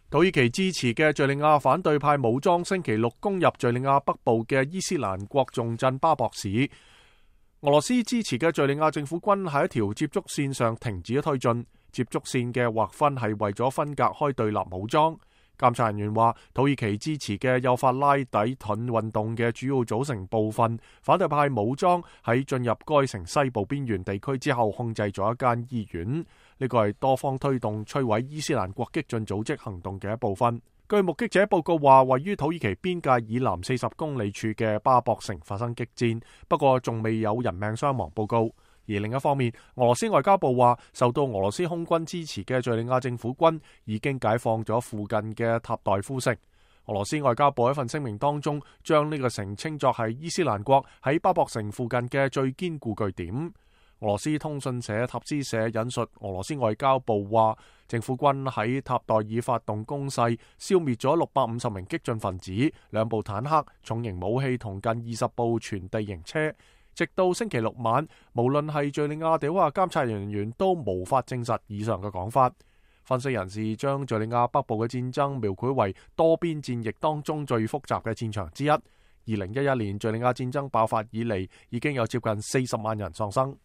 土耳其支持嘅敘利亞反對派武裝星期六攻入敘利亞北部嘅伊斯蘭國重鎮巴博市。俄羅斯支持嘅敘利亞政府軍喺一條接觸線上停止咗推進。接觸線嘅劃分係為咗分隔開對立武裝。監察人員話，土耳其支持嘅幼發拉底盾運動嘅主要組成部分反對派武裝喺進入該城西部邊緣地區之後，控制咗一間醫院。呢個係多方推動摧毀伊斯蘭國激進組織行動嘅一部分。據目擊者報告話，位於土耳其邊界以南40公里處嘅巴博城發生激戰，不過仲未有人命傷亡報告。而另一方面，俄羅斯外交部話，受到俄羅斯空軍支持嘅敘利亞政府軍已經解放咗附近嘅塔代夫城。俄羅斯外交部喺一份聲明當中，將呢個城稱作係伊斯蘭國喺巴博城附近嘅最堅固據點。俄羅斯通訊社塔斯社引述俄羅斯外交部話，政府軍喺塔代爾發動攻勢，消滅咗650名激進分子、2部坦克、重型武器同近20部全地形車。直到星期六晚，無論係敘利亞定話監察人員都無法證實以上嘅講法。分析人士將敘利亞北部嘅戰爭描繪為多邊戰役當中最複雜嘅戰場之一。2011年敘利亞戰爭爆發以嚟，已經有接近40萬人喪生。